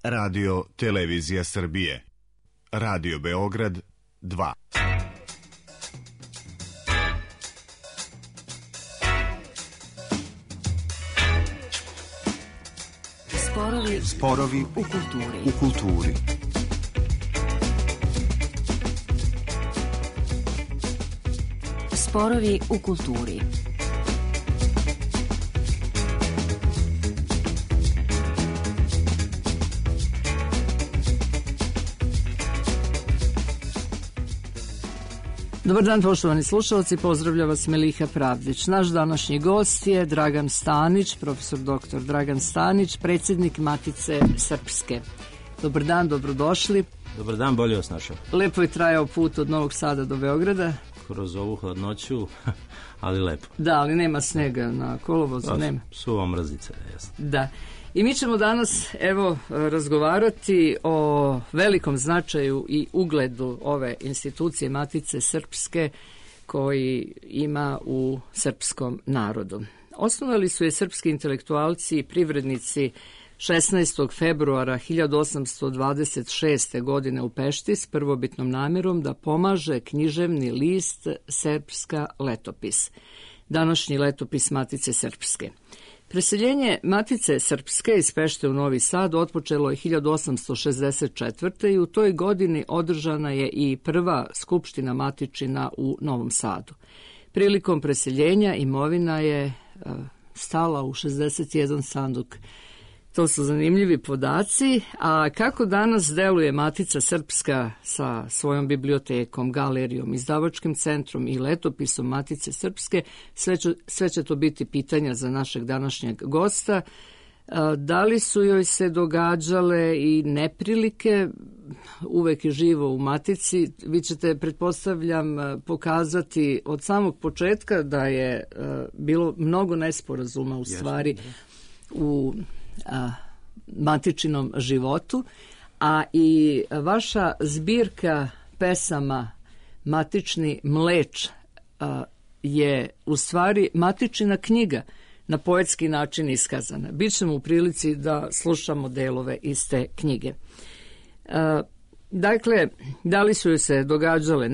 Radio Televizija Srbije. Radio Beograd 2. Sporovi u kulturi. Sporovi u kulturi. Dobar dan, poštovani slušalci, pozdravlja vas Meliha Pravdić. Naš današnji gost je Dragan Stanić, profesor dr. Dragan Stanić, predsjednik Matice Srpske. Dobar dan, dobrodošli. Dobar dan, bolje vas našao. Lepo je trajao put od Novog Sada do Beograda. Kroz ovu hladnoću, ali lepo. Da, ali nema snega na kolovozu, nema. Suva mrzica, jasno. Da. I mi ćemo danas, razgovarati o velikom značaju i ugledu ove institucije Matice Srpske koji ima u srpskom narodu. Osnovali su je srpski intelektualci i privrednici 16. februara 1826. godine u Pešti s prvobitnom namjerom da pomaže književni list Srpska letopis, današnji letopis Matice Srpske. Preseljenje Matice Srpske iz Pešte u Novi Sad otpočelo je 1864. i u toj godini održana je i prva skupština matičina u Novom Sadu. Prilikom preseljenja imovina je stala u 61 sanduk. To su zanimljivi podaci, a kako danas deluje Matica Srpska sa svojom bibliotekom, galerijom, izdavačkim centrom i letopisom Matice Srpske, sve će to biti pitanja za našeg današnjeg gosta. Da li su joj se događale i neprilike, uvek je živo u Matici. Vi ćete, pretpostavljam, pokazati od samog početka da je bilo mnogo nesporazuma u stvari u matičinom životu, a i vaša zbirka pesama Matični mleč je u stvari matičina knjiga na poetski način iskazana. Bićemo u prilici da slušamo delove iz te knjige. Dakle, da li su joj se događale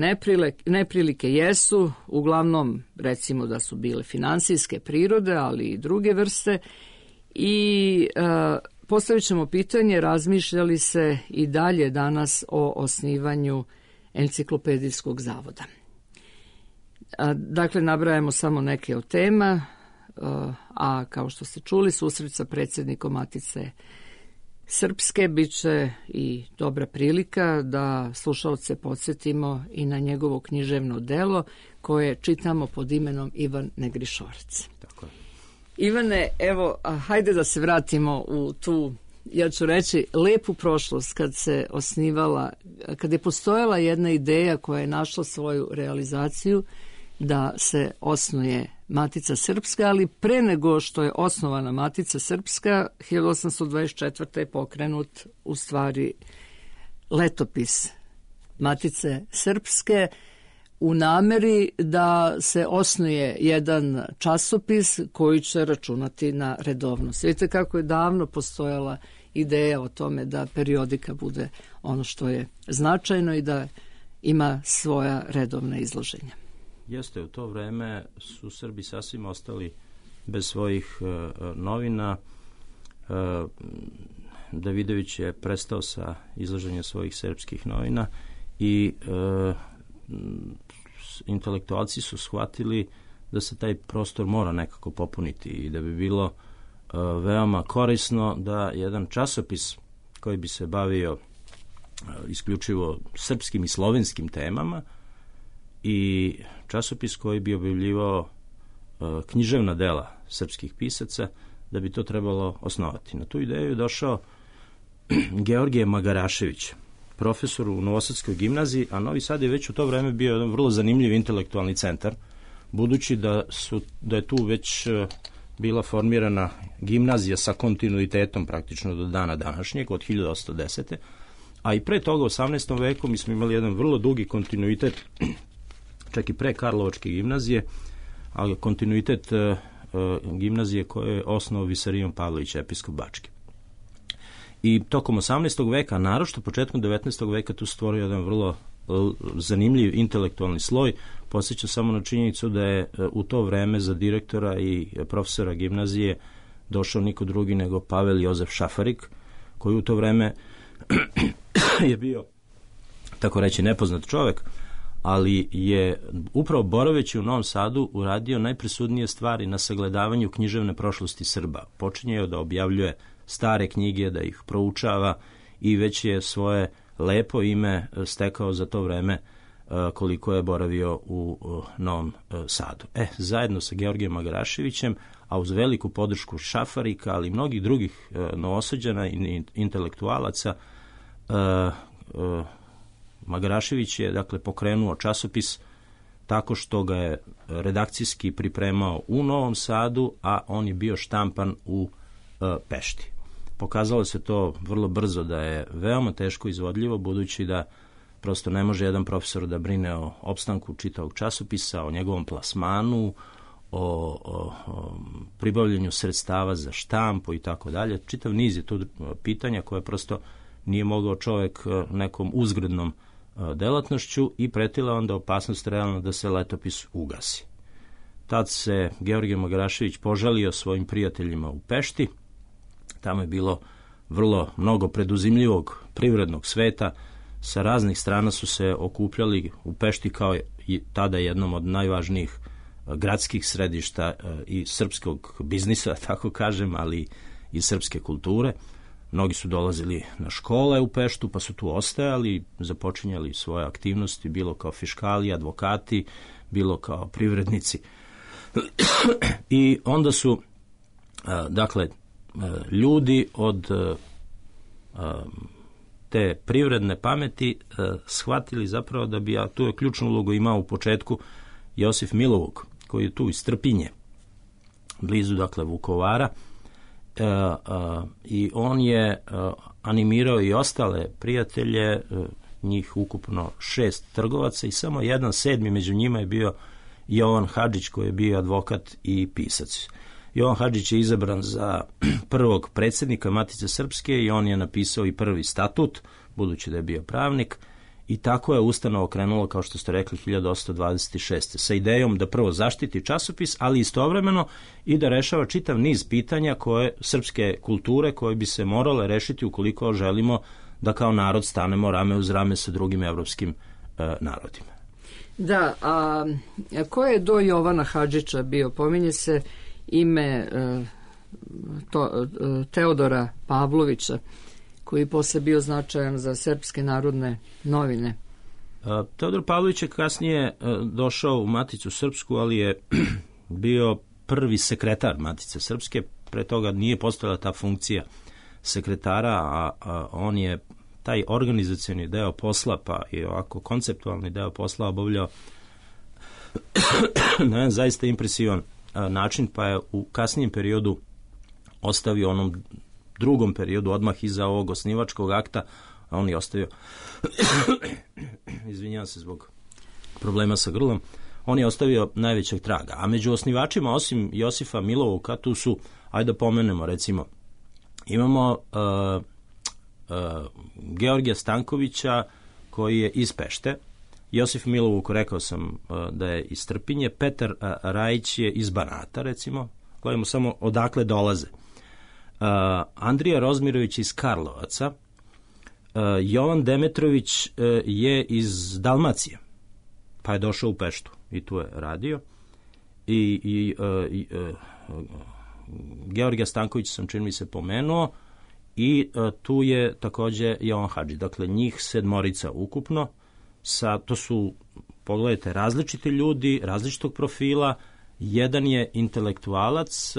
neprilike? Jesu, uglavnom recimo da su bile finansijske prirode, ali i druge vrste. I postavit ćemo pitanje, razmišlja li se i dalje danas o osnivanju enciklopedijskog zavoda. Dakle, nabrajamo samo neke od tema, a kao što ste čuli, susret sa predsjednikom Matice Srpske bit će i dobra prilika da slušalce podsjetimo i na njegovo književno delo koje čitamo pod imenom Ivan Negrišorac. Tako je. Ivane, evo, hajde da se vratimo u tu, ja ću reći, lepu prošlost kad se osnivala, kad je postojala jedna ideja koja je našla svoju realizaciju da se osnuje Matica Srpska, ali pre nego što je osnovana Matica Srpska, 1824. je pokrenut u stvari letopis Matice Srpske, u nameri da se osnuje jedan časopis koji će računati na redovnost. Vidite kako je davno postojala ideja o tome da periodika bude ono što je značajno i da ima svoja redovna izloženja. Jeste, u to vreme su Srbi sasvim ostali bez svojih novina. Davidović je prestao sa izlaženjem svojih srpskih novina i intelektualci su shvatili da se taj prostor mora nekako popuniti i da bi bilo veoma korisno da jedan časopis koji bi se bavio isključivo srpskim i slovenskim temama i časopis koji bi objavljivao književna dela srpskih pisaca, da bi to trebalo osnovati. Na tu ideju je došao Georgije Magarašević, profesor u Novosadskoj gimnaziji, a Novi Sad je već u to vreme bio jedan vrlo zanimljiv intelektualni centar, budući da je tu već bila formirana gimnazija sa kontinuitetom praktično do dana današnjeg, od 1810. A i pre toga, u 18. veku, mi smo imali jedan vrlo dugi kontinuitet, čak i pre Karlovačke gimnazije, ali kontinuitet gimnazije koje je osnovao Visarion Pavlović, episkop Bački. I tokom 18. veka, naročito početkom 19. veka, tu stvorio jedan vrlo zanimljiv intelektualni sloj. Podsjeća samo na činjenicu da je u to vreme za direktora i profesora gimnazije došao niko drugi nego Pavel Jozef Šafarik, koji u to vreme je bio, tako reći, nepoznat čovjek, ali je upravo boraveći u Novom Sadu uradio najpresudnije stvari na sagledavanju književne prošlosti Srba. Počinje da objavljuje stare knjige, da ih proučava i već je svoje lepo ime stekao za to vreme koliko je boravio u Novom Sadu. Zajedno sa Georgijem Magaraševićem, a uz veliku podršku Šafarika, ali i mnogih drugih Novosađana i intelektualaca, Magarašević je dakle pokrenuo časopis tako što ga je redakcijski pripremao u Novom Sadu, a on je bio štampan u Pešti. Pokazalo se to vrlo brzo da je veoma teško izvodljivo, budući da prosto ne može jedan profesor da brine o opstanku čitavog časopisa, o njegovom plasmanu, o pribavljanju sredstava za štampu i tako dalje. Čitav niz je tu pitanja koje prosto nije mogao čovjek nekom uzgrednom delatnošću i pretila onda opasnost realno da se letopis ugasi. Tad se Georgije Magarašević požalio svojim prijateljima u Pešti. Tamo je bilo vrlo mnogo preduzimljivog privrednog sveta. Sa raznih strana su se okupljali u Pešti kao i tada jednom od najvažnijih gradskih središta i srpskog biznisa, tako kažem, ali i srpske kulture. Mnogi su dolazili na škole u Peštu, pa su tu ostajali, započinjali svoje aktivnosti, bilo kao fiškali, advokati, bilo kao privrednici. I onda su, dakle, ljudi od te privredne pameti shvatili zapravo da bi, a tu je ključnu ulogu imao u početku Josif Milovuk, koji je tu iz Trpinje, blizu, dakle, Vukovara, i on je animirao i ostale prijatelje, njih ukupno 6 trgovaca i samo jedan 7. među njima je bio Jovan Hadžić, koji je bio advokat i pisac. Jovan Hadžić je izabran za prvog predsjednika Matice Srpske i on je napisao i prvi statut, budući da je bio pravnik, i tako je ustanova krenulo, kao što ste rekli, 1826. sa idejom da prvo zaštiti časopis, ali istovremeno i da rešava čitav niz pitanja koje srpske kulture koje bi se morale rešiti ukoliko želimo da kao narod stanemo rame uz rame sa drugim evropskim narodima. Da, a ko je do Jovana Hadžića bio? Pominje se ime Teodora Pavlovića, koji posle bio značajan za Srpske narodne novine. Teodor Pavlović je kasnije došao u Maticu Srpsku, ali je bio prvi sekretar Matice Srpske. Pre toga nije postojala ta funkcija sekretara, a on je taj organizacioni deo posla, pa i ovako konceptualni deo posla obavljao na jedan zaista impresivan način, pa je u kasnijem periodu ostavio onom drugom periodu, odmah iza ovog osnivačkog akta, a on je ostavio izvinjavam se zbog problema sa grlom, on je ostavio najvećeg traga. A među osnivačima, osim Josifa Milovuka, tu su, ajde da pomenemo, recimo, imamo Georgija Stankovića, koji je iz Pešte, Josif Milovuk, rekao sam da je iz Trpinje, Petar Rajić je iz Banata, recimo, gledamo samo odakle dolaze. Andrija Rozmirović iz Karlovaca, Jovan Demetrović je iz Dalmacije, pa je došao u Peštu i tu je radio. I Georgija Stanković sam, čini mi se, pomenuo, i tu je takođe Jovan Hadžić. Dakle, njih 7 ukupno, to su, pogledajte, različiti ljudi, različitog profila. Jedan je intelektualac,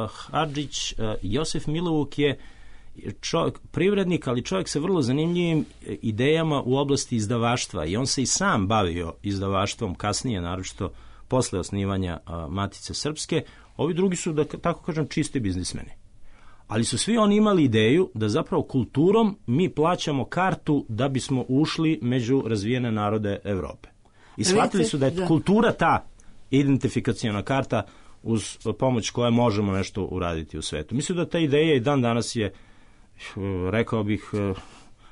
Hadžić. Josif Milovuk je čovjek, privrednik, ali čovjek sa vrlo zanimljivim idejama u oblasti izdavaštva, i on se i sam bavio izdavaštvom kasnije, naročito posle osnivanja Matice Srpske. Ovi drugi su, da tako kažem, čisti biznismeni. Ali su svi oni imali ideju da zapravo kulturom mi plaćamo kartu da bismo ušli među razvijene narode Evrope. I shvatili su da je kultura ta identifikaciona karta uz pomoć koje možemo nešto uraditi u svetu. Mislim da ta ideja i dan danas je rekao bih,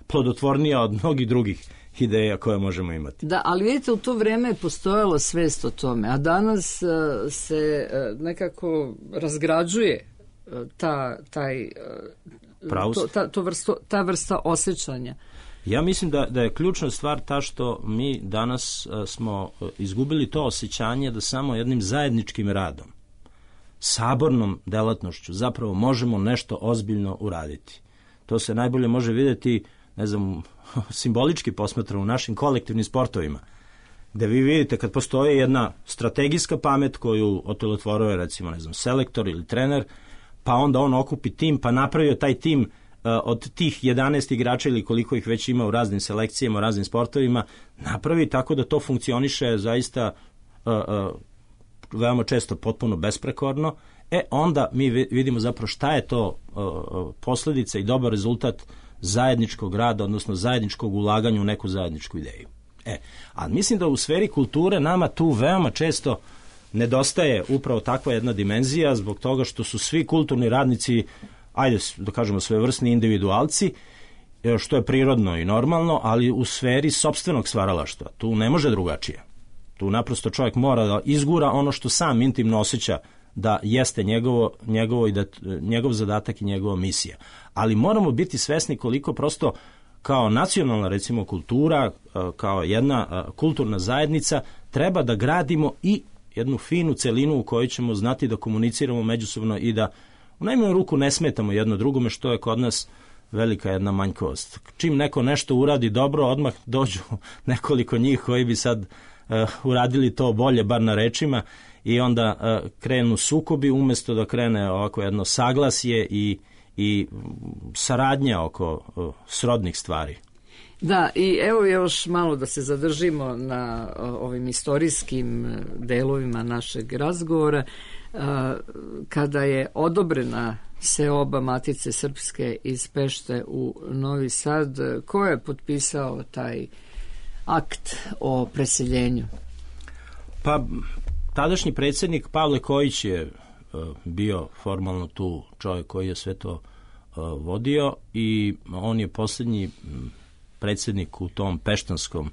plodotvornija od mnogih drugih ideja koje možemo imati. Da, ali vidite, u to vreme je postojala svest o tome, a danas se nekako razgrađuje ta vrsta osjećanja. Ja mislim da je ključna stvar ta što mi danas smo izgubili to osjećanje da samo jednim zajedničkim radom, sabornom delatnošću zapravo možemo nešto ozbiljno uraditi. To se najbolje može vidjeti, ne znam, simbolički posmatrano u našim kolektivnim sportovima, gde vi vidite kad postoji jedna strategijska pamet koju otelotvoruje, recimo, ne znam, selektor ili trener, pa onda on okupi tim, pa napravio taj tim od tih 11 igrača ili koliko ih već ima u raznim selekcijama, u raznim sportovima, napravi tako da to funkcioniše zaista veoma često potpuno besprekorno. Onda mi vidimo zapravo šta je to posljedica i dobar rezultat zajedničkog rada, odnosno zajedničkog ulaganja u neku zajedničku ideju. A mislim da u sferi kulture nama tu veoma često nedostaje upravo takva jedna dimenzija, zbog toga što su svi kulturni radnici, ajde da kažemo, svevrsni individualci, što je prirodno i normalno, ali u sferi sopstvenog stvaralaštva. Tu ne može drugačije. Tu naprosto čovjek mora da izgura ono što sam intimno osjeća da jeste njegovo i da njegov zadatak i njegova misija. Ali moramo biti svesni koliko prosto kao nacionalna, recimo, kultura, kao jedna kulturna zajednica, treba da gradimo i jednu finu celinu u kojoj ćemo znati da komuniciramo međusobno i da u najmanju ruku ne smetamo jedno drugome, što je kod nas velika jedna manjkost. Čim neko nešto uradi dobro, odmah dođu nekoliko njih koji bi sad uradili to bolje, bar na rečima, i onda krenu sukobi umjesto da krene ovako jedno saglasje i saradnja oko srodnih stvari. Da, i evo još malo da se zadržimo na ovim istorijskim delovima našeg razgovora. Kada je odobrena seoba Matice Srpske iz Pešte u Novi Sad, ko je potpisao taj akt o preseljenju? Pa, tadašnji predsjednik Pavle Kojić je bio formalno tu čovjek koji je sve to vodio i on je posljednji predsjednik u tom peštanskom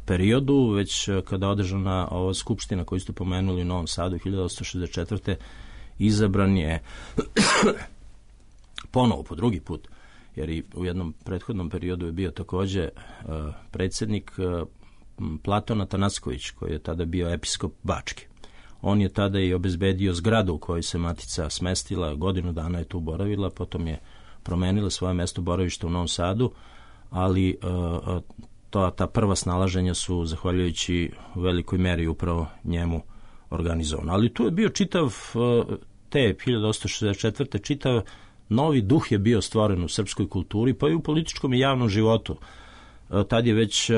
periodu, već kada je održana ova skupština koju ste pomenuli u Novom Sadu 1864. izabran je ponovo po drugi put, jer i u jednom prethodnom periodu je bio također predsjednik Platon Atanacković, koji je tada bio episkop Bački. On je tada i obezbedio zgradu u kojoj se Matica smestila, godinu dana je tu boravila, potom je promenila svoje mesto boravišta u Novom Sadu, ali ta prva snalaženja su, zahvaljujući velikoj meri, upravo njemu organizovano. Ali tu je bio čitav, te 1864. čitav novi duh je bio stvoren u srpskoj kulturi, pa i u političkom i javnom životu. Tad je već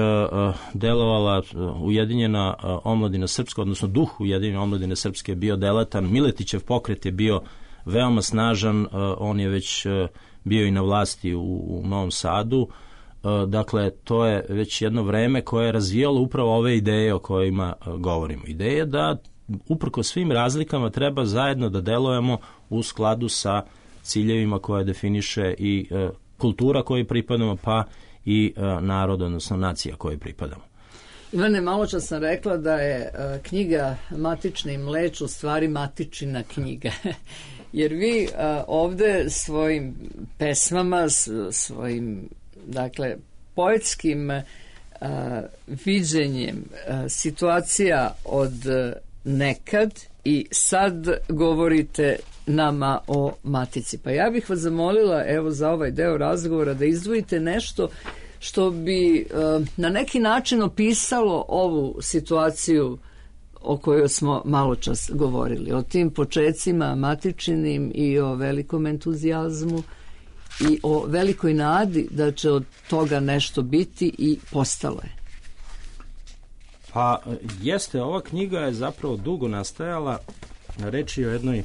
delovala Ujedinjena omladina srpska, odnosno duh Ujedinjene omladine srpske je bio delatan, Miletićev pokret je bio veoma snažan, on je već bio i na vlasti u Novom Sadu. Dakle, to je već jedno vreme koje je razvijalo upravo ove ideje o kojima govorimo. Ideje da uprko svim razlikama treba zajedno da delujemo u skladu sa ciljevima koje definiše i kultura kojoj pripadamo, pa i narod, odnosno nacija kojoj pripadamo. Ivane, malo čas sam rekla da je knjiga Matični mleč u stvari matičina knjiga. Jer vi ovde svojim pesmama, svojim, dakle, poetskim viđenjem situacija od nekad i sad govorite nama o Matici. Pa ja bih vas zamolila, evo, za ovaj deo razgovora da izdvojite nešto što bi na neki način opisalo ovu situaciju o kojoj smo malo čas govorili, o tim počecima matičinim i o velikom entuzijazmu i o velikoj nadi da će od toga nešto biti i postalo je. Pa jeste, ova knjiga je zapravo dugo nastajala, reč je o jednoj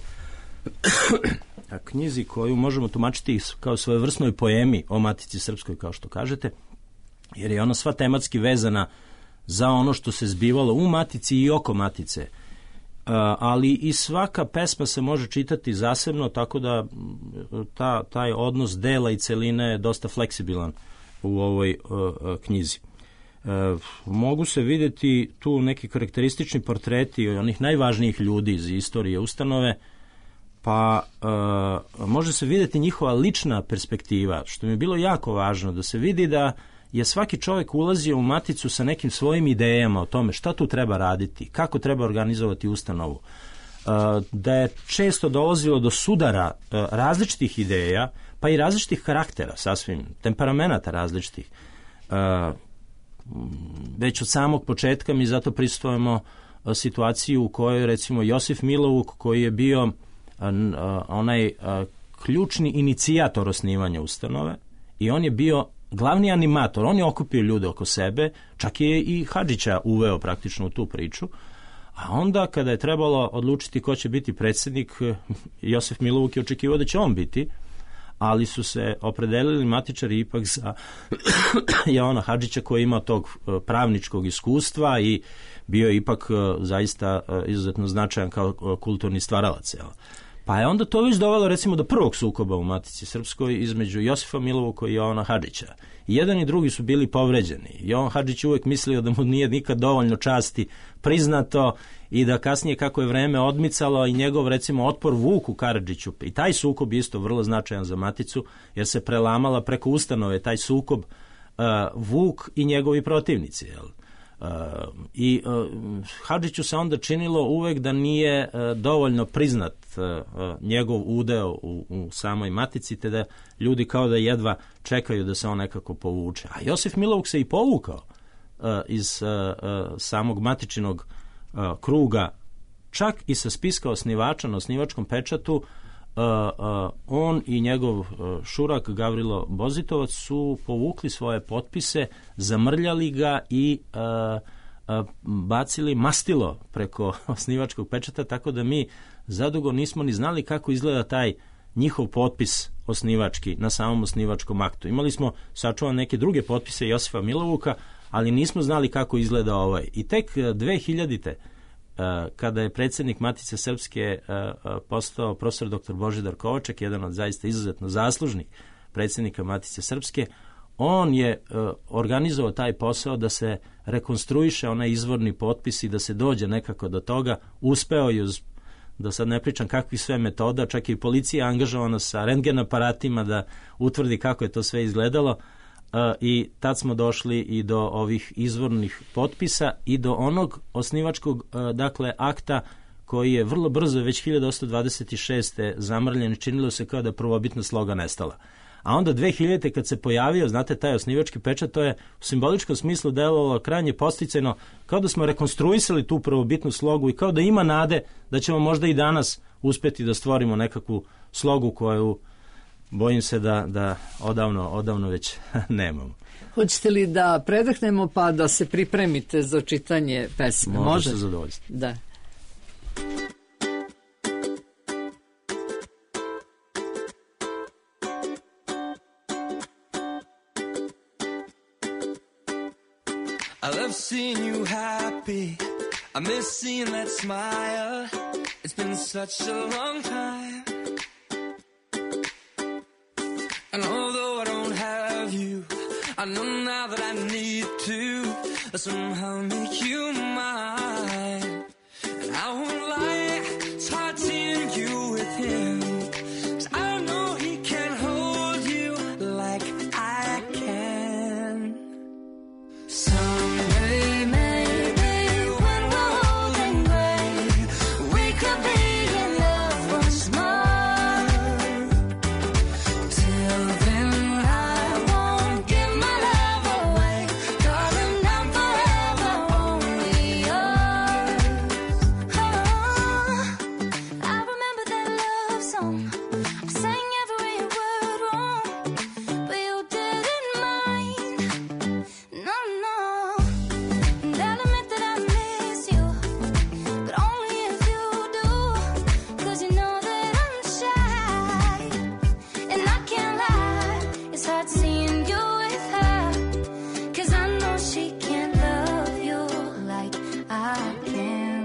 knjizi koju možemo tumačiti kao svojevrsnoj poemi o Matici Srpskoj, kao što kažete, jer je ona sva tematski vezana za ono što se zbivalo u Matici i oko Matice. ali i svaka pesma se može čitati zasebno, tako da taj odnos dela i celine je dosta fleksibilan u ovoj knjizi. Mogu se vidjeti tu neki karakteristični portreti onih najvažnijih ljudi iz istorije ustanove, pa može se vidjeti njihova lična perspektiva, što mi je bilo jako važno, da se vidi da je svaki čovjek ulazio u Maticu sa nekim svojim idejama o tome šta tu treba raditi, kako treba organizovati ustanovu, da je često dolazilo do sudara različitih ideja, pa i različitih karaktera, sasvim temperamenata različitih. Već od samog početka mi zato pristojemo situaciju u kojoj, recimo, Josif Milovuk, koji je bio onaj ključni inicijator osnivanja ustanove, i on je bio glavni animator, on je okupio ljude oko sebe, čak je i Hadžića uveo praktično u tu priču, a onda kada je trebalo odlučiti ko će biti predsjednik, Josif Milovuk je očekivao da će on biti, ali su se opredelili matičari ipak za Jovana Hadžića, koji ima tog pravničkog iskustva i bio je ipak zaista izuzetno značajan kao kulturni stvaralac. Pa je onda to već dovelo, recimo, do prvog sukoba u Matici Srpskoj između Josifa Milovuka i Jovana Hadžića. I jedan i drugi su bili povređeni. Jovan Hadžić uvek mislio da mu nije nikad dovoljno časti priznato i da kasnije, kako je vreme odmicalo, i njegov, recimo, otpor Vuku Karadžiću, i taj sukob je isto vrlo značajan za Maticu, jer se prelamala preko ustanove taj sukob Vuk i njegovi protivnici, i Hadžiću se onda činilo uvek da nije dovoljno priznat njegov udeo u samoj Matici, te da ljudi kao da jedva čekaju da se on nekako povuče. A Josif Milovuk se i povukao iz samog matičinog kruga, čak i sa spiska osnivača na osnivačkom pečatu. On i njegov šurak Gavrilo Bozitovac su povukli svoje potpise, zamrljali ga i bacili mastilo preko osnivačkog pečata, tako da mi zadugo nismo ni znali kako izgleda taj njihov potpis osnivački na samom osnivačkom aktu. Imali smo sačuvan neke druge potpise Josifa Milovuka, ali nismo znali kako izgleda ovaj. I tek 2000. Kada je predsjednik Matice Srpske postao profesor dr. Božidar Kovaček, jedan od zaista izuzetno zaslužnih predsjednika Matice Srpske, on je organizovao taj posao da se rekonstruiše onaj izvorni potpis i da se dođe nekako do toga. Uspeo je, da sad ne pričam kakvih sve metoda, čak i policija angažovana sa rentgen aparatima da utvrdi kako je to sve izgledalo, i tad smo došli i do ovih izvornih potpisa i do onog osnivačkog akta koji je vrlo brzo, već 1826. zamrljen, činilo se kao da prvobitna sloga nestala. A onda 2000. kad se pojavio, znate, taj osnivački pečat, to je u simboličkom smislu delovalo krajnje posticajno, kao da smo rekonstruisali tu prvobitnu slogu i kao da ima nade da ćemo možda i danas uspjeti da stvorimo nekakvu slogu koju bojim se da odavno već nemamo. Hoćete li da predahnemo pa da se pripremite za čitanje pesme? Može se zadovoljiti. Da. I love seeing you happy. I miss seeing that smile. It's been such a long time. And although I don't have you, I know now that I need to somehow make you mine. And I won't lie, it's hard seeing you with him, 'cause I know he can hold you like I can. Someday maybe when we're old and gray, we could be in love once more. Till then I won't give my love away, darling, I'm forever only yours. Oh, I remember that love song, I sang every word wrong, but you didn't mind. No, no, and I'll admit that I miss you, but only if you do, 'cause you know that I'm shy, and I can't lie, it's hard seeing you with her, 'cause I know she can't love you like I can.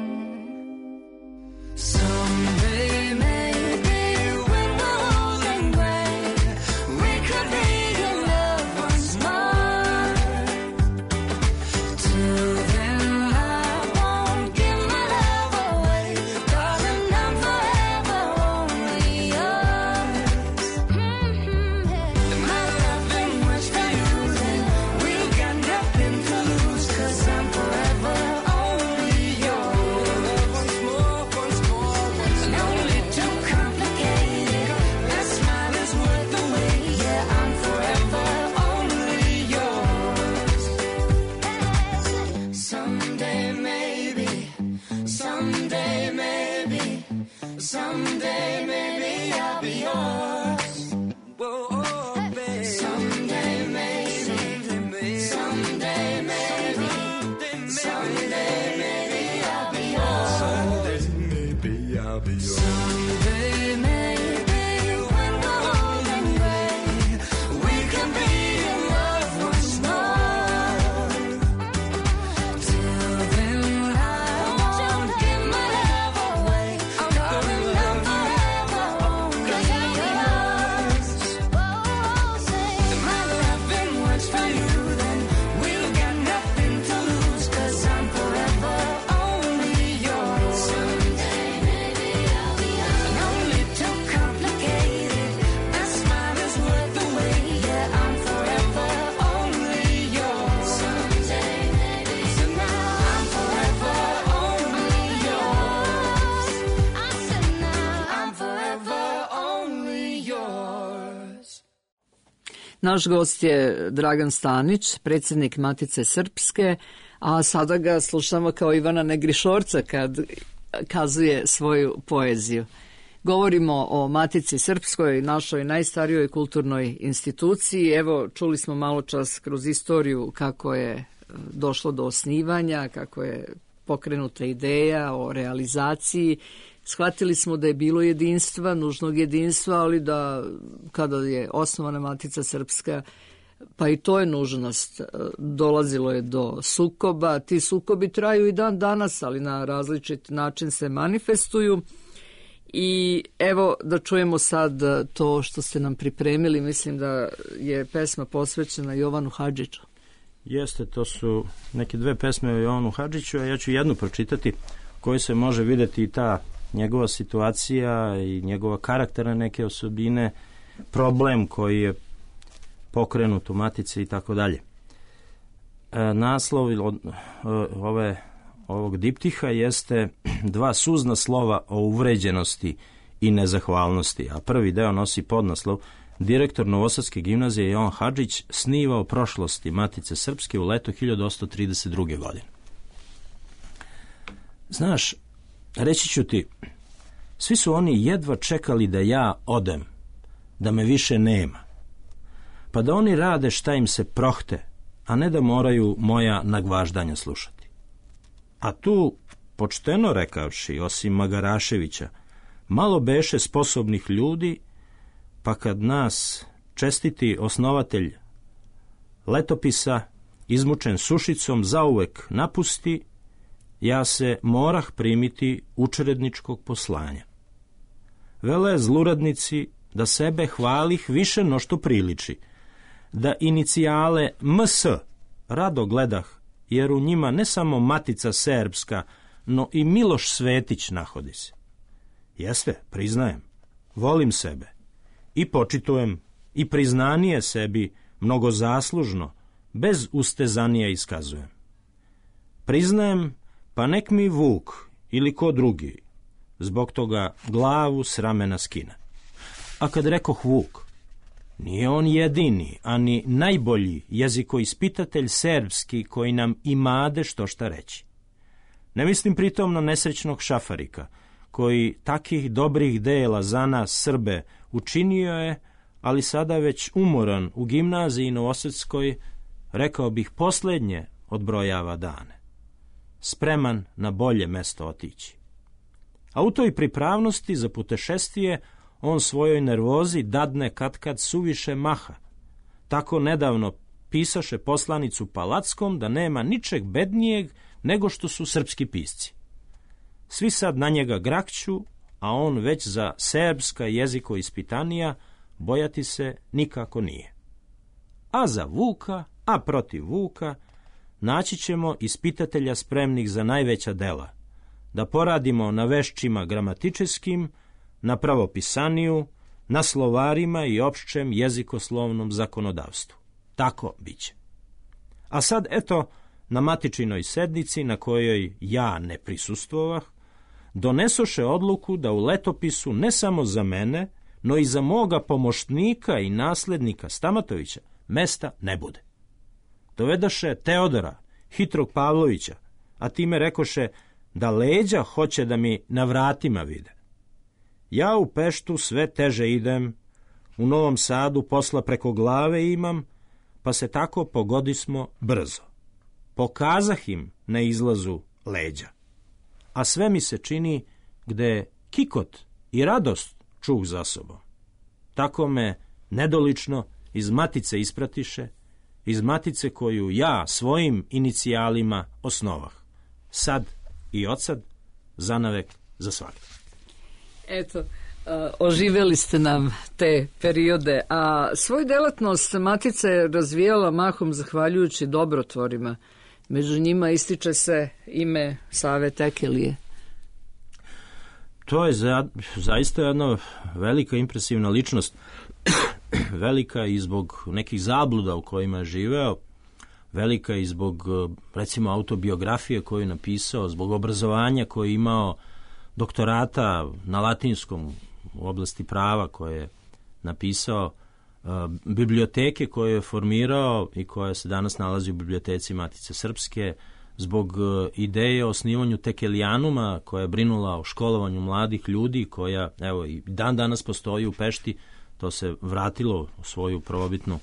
Naš gost je Dragan Stanić, predsjednik Matice Srpske, a sada ga slušamo kao Ivana Negrišorca kad kazuje svoju poeziju. Govorimo o Matici Srpskoj, našoj najstarijoj kulturnoj instituciji. Evo, čuli smo malo čas kroz istoriju kako je došlo do osnivanja, kako je pokrenuta ideja o realizaciji. Shvatili smo da je bilo jedinstva, nužnog jedinstva, ali da kada je osnovana Matica Srpska, pa i to je nužnost, dolazilo je do sukoba. Ti sukobi traju i dan danas, ali na različit način se manifestuju. I evo da čujemo sad to što ste nam pripremili. Mislim da je pesma posvećena Jovanu Hadžiću. Jeste, to su neke dve pesme o Jovanu Hadžiću, a ja ću jednu pročitati kojoj se može vidjeti i ta njegova situacija i njegova karakterna neke osobine, problem koji je pokrenut u Matici i tako dalje. Naslov ovog diptiha jeste dva suzna slova o uvređenosti i nezahvalnosti, a prvi deo nosi podnaslov Direktor Novosadske gimnazije Jovan Hadžić sniva o prošlosti Matice Srpske u leto 1832. godine. Znaš, reći ću ti, svi su oni jedva čekali da ja odem, da me više nema, pa da oni rade šta im se prohte, a ne da moraju moja nagvaždanja slušati. A tu, počteno rekavši, osim Magaraševića, malo beše sposobnih ljudi, pa kad nas čestiti osnovatelj letopisa, izmučen sušicom, zauvek napusti, ja se morah primiti učredničkog poslanja. Vele zluradnici da sebe hvalih više no što priliči, da inicijale MS rado gledah, jer u njima ne samo Matica Srpska, no i Miloš Svetić nahodi se. Jeste, priznajem, volim sebe i počitujem i priznanje sebi mnogo zaslužno, bez ustezanija iskazujem. Priznajem, pa nek mi Vuk ili ko drugi zbog toga glavu s ramena skine. A kad rekoh Vuk, nije on jedini, ani najbolji jezikoispitatelj serbski koji nam imade što šta reći. Ne mislim pritom na nesrećnog Šafarika, koji takih dobrih dela za nas Srbe učinio je, ali sada već umoran u gimnaziji Novosadskoj, rekao bih posljednje odbrojava dane. Spreman na bolje mesto otići. A u toj pripravnosti za putešestvije on svojoj nervozi dadne katkad suviše maha. Tako nedavno pisaše poslanicu Palackom da nema ničeg bednijeg nego što su srpski pisci. Svi sad na njega grakću, a on već za serbska jezikoispitanija bojati se nikako nije. A za Vuka, a protiv Vuka, naći ćemo ispitatelja spremnih za najveća dela, da poradimo na vešćima gramatičeskim, na pravopisaniju, na slovarima i opšćem jezikoslovnom zakonodavstvu. Tako biće. A sad, eto, na matičinoj sednici, na kojoj ja ne prisustvovah, donesoše odluku da u letopisu ne samo za mene, no i za moga pomoćnika i naslednika Stamatovića mesta ne bude. Dovedaše Teodora, hitrog Pavlovića, a time rekoše da leđa hoće da mi na vratima vide. Ja u Peštu sve teže idem, u Novom Sadu posla preko glave imam, pa se tako pogodismo brzo. Pokazah im na izlazu leđa. A sve mi se čini gde kikot i radost čuh za sobom. Tako me nedolično iz Matice ispratiše, iz Matice koju ja svojim inicijalima osnovah. Sad i odsad, zanavek za svakog. Eto, oživjeli ste nam te periode, a svoju delatnost Matica je razvijala mahom zahvaljujući dobrotvorima. Među njima ističe se ime Save Tekelije. To je zaista jedna velika impresivna ličnost, velika i zbog nekih zabluda u kojima je živeo, velika i zbog, recimo, autobiografije koju je napisao, zbog obrazovanja koje je imao, doktorata na latinskom u oblasti prava koje je napisao, biblioteke koju je formirao i koja se danas nalazi u biblioteci Matice Srpske, zbog ideje o osnivanju Tekelijanuma koja je brinula o školovanju mladih ljudi, koja evo i dan danas postoji u Pešti. To se vratilo u svoju prvobitnu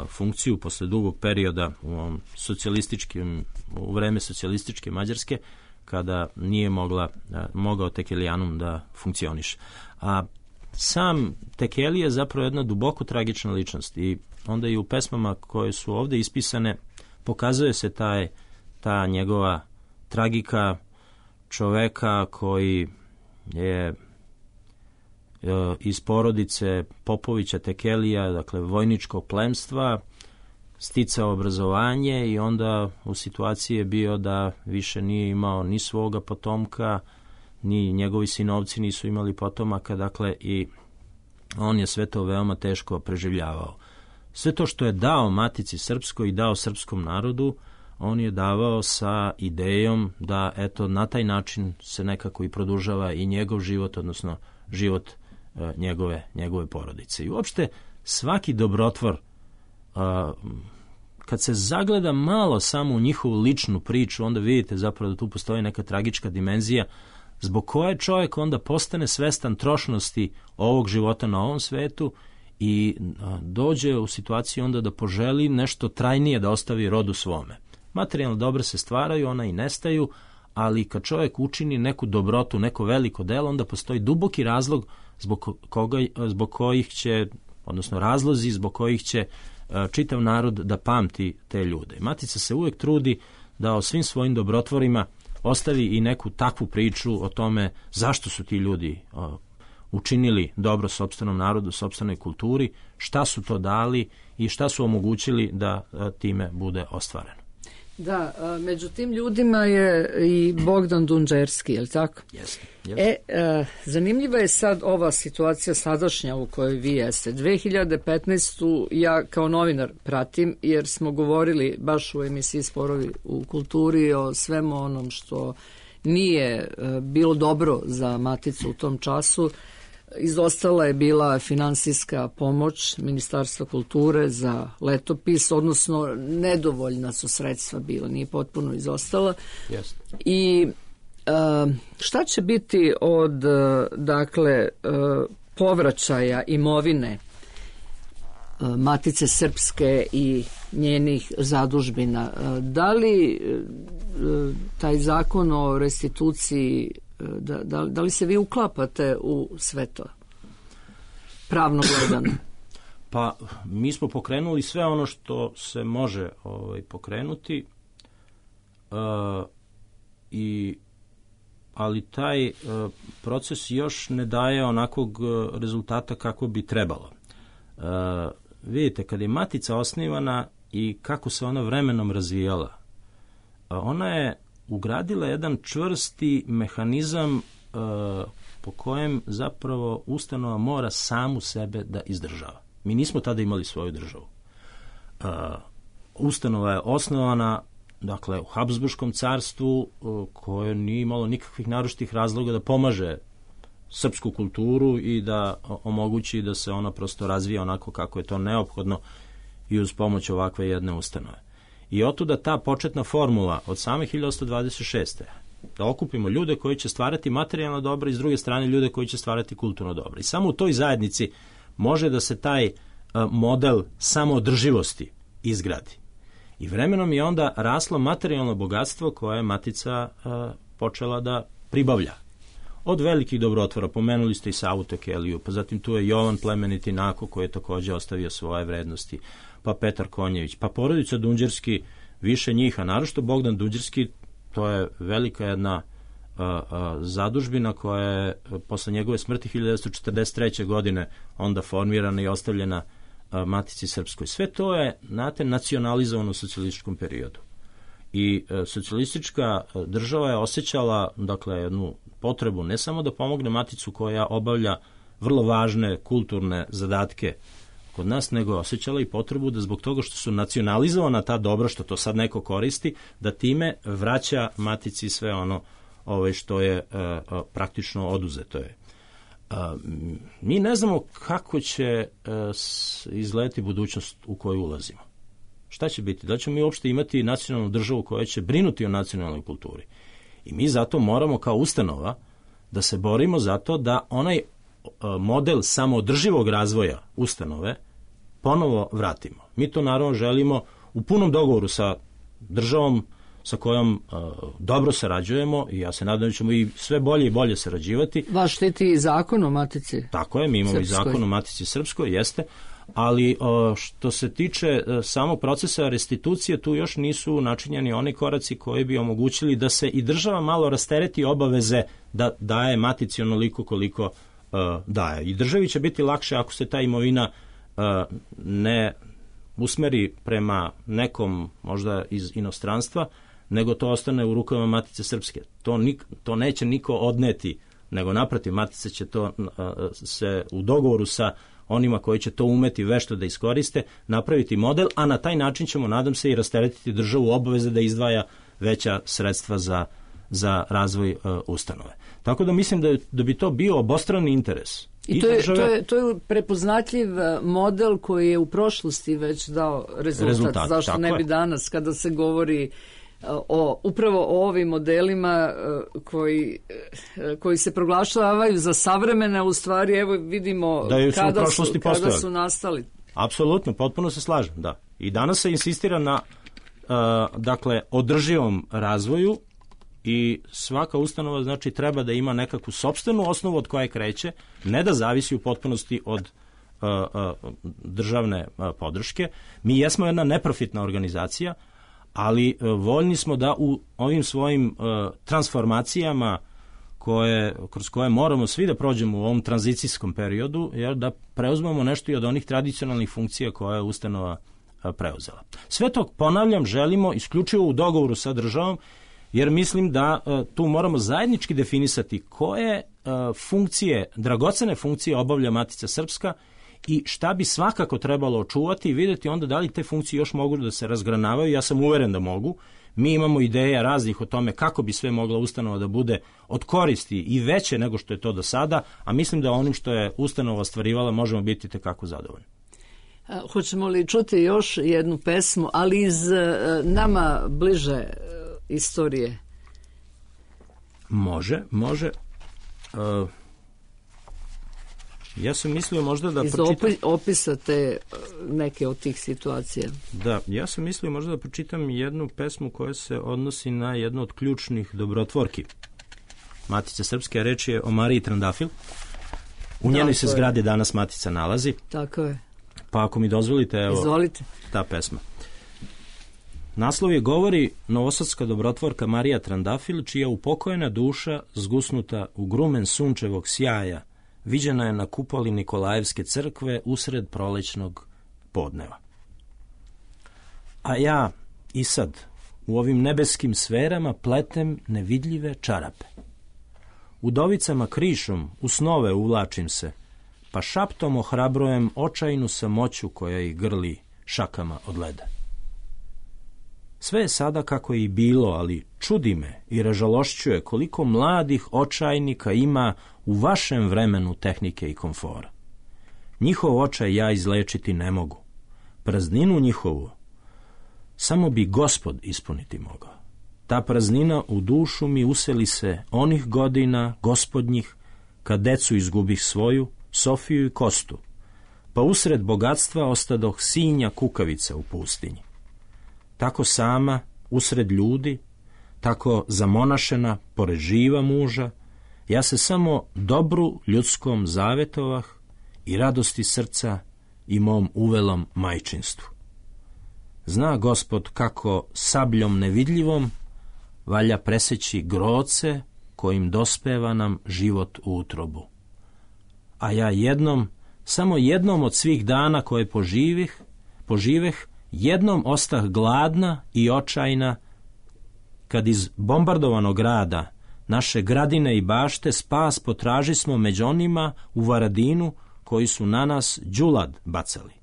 funkciju posle dugog perioda u vreme socijalističke Mađarske, kada nije mogao Tekelijanum da funkcioniše. A sam Tekeli je zapravo jedna duboko tragična ličnost i onda i u pesmama koje su ovde ispisane pokazuje se ta njegova tragika čoveka koji je iz porodice Popovića Tekelija, dakle vojničkog plemstva, sticao obrazovanje i onda u situaciji je bio da više nije imao ni svoga potomka, ni njegovi sinovci nisu imali potomaka, dakle i on je sve to veoma teško preživljavao. Sve to što je dao Matici Srpskoj i dao srpskom narodu, on je davao sa idejom da eto na taj način se nekako i produžava i njegov život, odnosno život njegove porodice. I uopšte svaki dobrotvor, kad se zagleda malo samo u njihovu ličnu priču, onda vidite zapravo da tu postoji neka tragička dimenzija zbog koje čovjek onda postane svestan trošnosti ovog života na ovom svetu i dođe u situaciju onda da poželi nešto trajnije da ostavi rodu svome. Materijalno dobra se stvaraju, ona i nestaju, ali kad čovjek učini neku dobrotu, neko veliko delo, onda postoji duboki razlog zbog kojih će, odnosno razlozi zbog kojih će čitav narod da pamti te ljude. Matica se uvijek trudi da o svim svojim dobrotvorima ostavi i neku takvu priču o tome zašto su ti ljudi učinili dobro sopstvenom narodu, sopstvenoj kulturi, šta su to dali i šta su omogućili da time bude ostvareno. Da, među tim ljudima je i Bogdan Dunđerski, je li tako? Jeste. Zanimljiva je sad ova situacija sadašnja u kojoj vi jeste. 2015. ja kao novinar pratim, jer smo govorili baš u emisiji Sporovi u kulturi o svemu onom što nije bilo dobro za Maticu u tom času. Izostala je bila finansijska pomoć Ministarstva kulture za letopis, odnosno nedovoljna su sredstva bila, nije potpuno izostala. Yes. I šta će biti od povraćaja imovine Matice Srpske i njenih zadužbina? Da li taj zakon o restituciji, da li se vi uklapate u sve to, pravno gledano? Pa, mi smo pokrenuli sve ono što se može pokrenuti, ali taj proces još ne daje onakvog rezultata kako bi trebalo. Vidite, kad je Matica osnivana i kako se ona vremenom razvijala, ona je ugradila jedan čvrsti mehanizam po kojem zapravo ustanova mora samu sebe da izdržava. Mi nismo tada imali svoju državu. Ustanova je osnovana, dakle, u Habsburškom carstvu, koje nije imalo nikakvih naročitih razloga da pomaže srpsku kulturu i da omogući da se ona prosto razvija onako kako je to neophodno i uz pomoć ovakve jedne ustanove. I otuda ta početna formula od same 1826. da okupimo ljude koji će stvarati materijalno dobro i s druge strane ljude koji će stvarati kulturno dobro. I samo u toj zajednici može da se taj model samoodrživosti izgradi. I vremenom je onda raslo materijalno bogatstvo koje je Matica počela da pribavlja. Od velikih dobrotvora, pomenuli ste i Savu Tekeliju, pa zatim tu je Jovan Plemeniti Nako koji je također ostavio svoje vrednosti, pa Petar Konjević, pa porodica Dunđerski, više njih, a naročito Bogdan Dunđerski, to je velika jedna zadužbina koja je posle njegove smrti 1943. godine onda formirana i ostavljena Matici Srpskoj. Sve to je, znate, nacionalizovano u socijalističkom periodu. I socijalistička država je osjećala, dakle, jednu potrebu ne samo da pomogne Maticu koja obavlja vrlo važne kulturne zadatke kod nas, nego je osjećala i potrebu da zbog toga što su nacionalizovana ta dobra, što to sad neko koristi, da time vraća Matici sve ono što je praktično oduzeto je. Mi ne znamo kako će izgledati budućnost u koju ulazimo. Šta će biti? Da ćemo mi uopšte imati nacionalnu državu koja će brinuti o nacionalnoj kulturi. I mi zato moramo kao ustanova da se borimo za to da onaj model samoodrživog razvoja ustanove ponovo vratimo. Mi to naravno želimo u punom dogovoru sa državom sa kojom dobro sarađujemo i ja se nadam da ćemo i sve bolje i bolje sarađivati. Vaš štiti i zakon o Matici Tako je, mi imamo Srpskoj. i zakon o Matici Srpskoj, jeste, ali što se tiče samog procesa restitucije, tu još nisu načinjeni oni koraci koji bi omogućili da se i država malo rastereti obaveze da daje Matici onoliko koliko daje. I državi će biti lakše ako se ta imovina ne usmeri prema nekom možda iz inostranstva, nego to ostane u rukama Matice Srpske. To neće niko odneti, nego naprotiv, Matica će to se u dogovoru sa onima koji će to umeti vešto da iskoriste, napraviti model, a na taj način ćemo, nadam se, i rasteretiti državu obaveze da izdvaja veća sredstva za razvoj ustanove. Tako da mislim da bi to bio obostrani interes. I to je prepoznatljiv model koji je u prošlosti već dao rezultat. Zašto ne bi danas, kada se govori upravo o ovim modelima koji se proglašavaju za savremene, u stvari evo vidimo kada su nastali. Apsolutno, potpuno se slažem, da. I danas se insistira na održivom razvoju i svaka ustanova znači treba da ima nekakvu sopstvenu osnovu od koje kreće, ne da zavisi u potpunosti od državne podrške. Mi jesmo jedna neprofitna organizacija, ali voljni smo da u ovim svojim transformacijama kroz koje moramo svi da prođemo u ovom tranzicijskom periodu, jer da preuzmemo nešto i od onih tradicionalnih funkcija koje je ustanova preuzela. Sve to, ponavljam, želimo isključivo u dogovoru sa državom, jer mislim da tu moramo zajednički definisati koje funkcije, dragocene funkcije obavlja Matica Srpska i šta bi svakako trebalo očuvati i vidjeti onda da li te funkcije još mogu da se razgranavaju. Ja sam uveren da mogu. Mi imamo ideja raznih o tome kako bi sve mogla ustanova da bude od koristi i veće nego što je to do sada, a mislim da onim što je ustanova ostvarivala možemo biti tekako zadovoljni. Hoćemo li čuti još jednu pesmu, ali iz nama bliže istorije? Može. Ja sam mislio možda da pročitam... Iz opisa te neke od tih situacija. Da, ja sam mislio možda da pročitam jednu pesmu koja se odnosi na jednu od ključnih dobrotvorki Matice Srpske, reč je o Mariji Trandafil. U njenoj se zgradi danas Matica nalazi. Tako je. Pa ako mi dozvolite, evo, izvolite, ta pesma. Naslov je govori novosadska dobrotvorka Marija Trandafil, čija upokojena duša, zgusnuta u grumen sunčevog sjaja, viđena je na kupoli Nikolajevske crkve usred prolećnog podneva. A ja i sad u ovim nebeskim sferama pletem nevidljive čarape. Udovicama krišom u snove uvlačim se, pa šaptom ohrabrujem očajnu samoću koja ih grli šakama od leda. Sve je sada kako je i bilo, ali čudi me i ražalošćuje koliko mladih očajnika ima u vašem vremenu tehnike i komfora. Njihov očaj ja izlečiti ne mogu. Prazninu njihovu samo bi Gospod ispuniti mogao. Ta praznina u dušu mi useli se onih godina gospodnjih, kad decu izgubih svoju, Sofiju i Kostu, pa usred bogatstva ostadoh sinja kukavica u pustinji. Tako sama, usred ljudi, tako zamonašena, pored živa muža, ja se samo dobru ljudskom zavetovah i radosti srca i mom uvelom majčinstvu. Zna Gospod kako sabljom nevidljivom valja preseći groce kojim dospeva nam život u utrobu. A ja samo jednom od svih dana koje poživeh, jednom ostah gladna i očajna, kad iz bombardovanog grada, naše gradine i bašte, spas potražismo među onima u Varadinu koji su na nas đulad bacali.